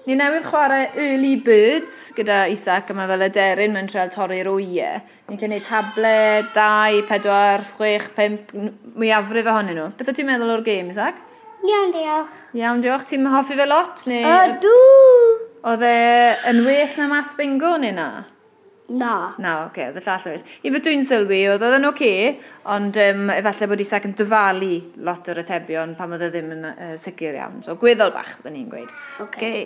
Ni newydd chwarae Early Birds gyda Isaac, a mae fel aderyn mae'n treial torri'r wyau. Ni'n gallu gwneud table, 2, 4, 6, 5, mwyafrif ohonyn nhw. Beth wyt ti'n meddwl o'r gêm, Isaac? Iawn, diolch. Iawn, diolch. Ti'n hoffi fe lot? Neu... Ydw! Oedd e yn well na Math Bingo neu na? Na. Na, oce, okay, oedd y llall yn well. I beth dwi'n sylwi, oedd oedd yn oce, okay, ond efallai bod Isaac yn dyfalu lot o'r atebion pan oedd e ddim yn sicr iawn. So, gweddol bach, byddwn ni'n gweud. Oce. Okay.